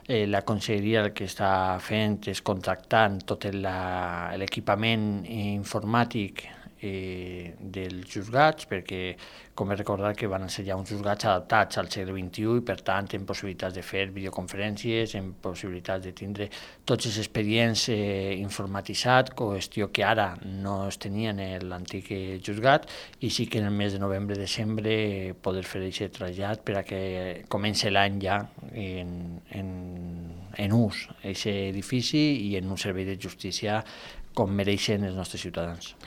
La conselleria el que està fent és contractant tot l'equipament informàtic dels juzgats, perquè com he recordat que van ser ja uns juzgats adaptats al segle XXI i per tant en possibilitats de fer videoconferències, en possibilitats de tindre tots els expedients informatitzats, qüestió que ara no es tenia en l'antic juzgat, i sí que en el mes de novembre-desembre poder fer aquest trasllat per a que comenci l'any ja en ús, aquest edifici, i en un servei de justícia com mereixen els nostres ciutadans.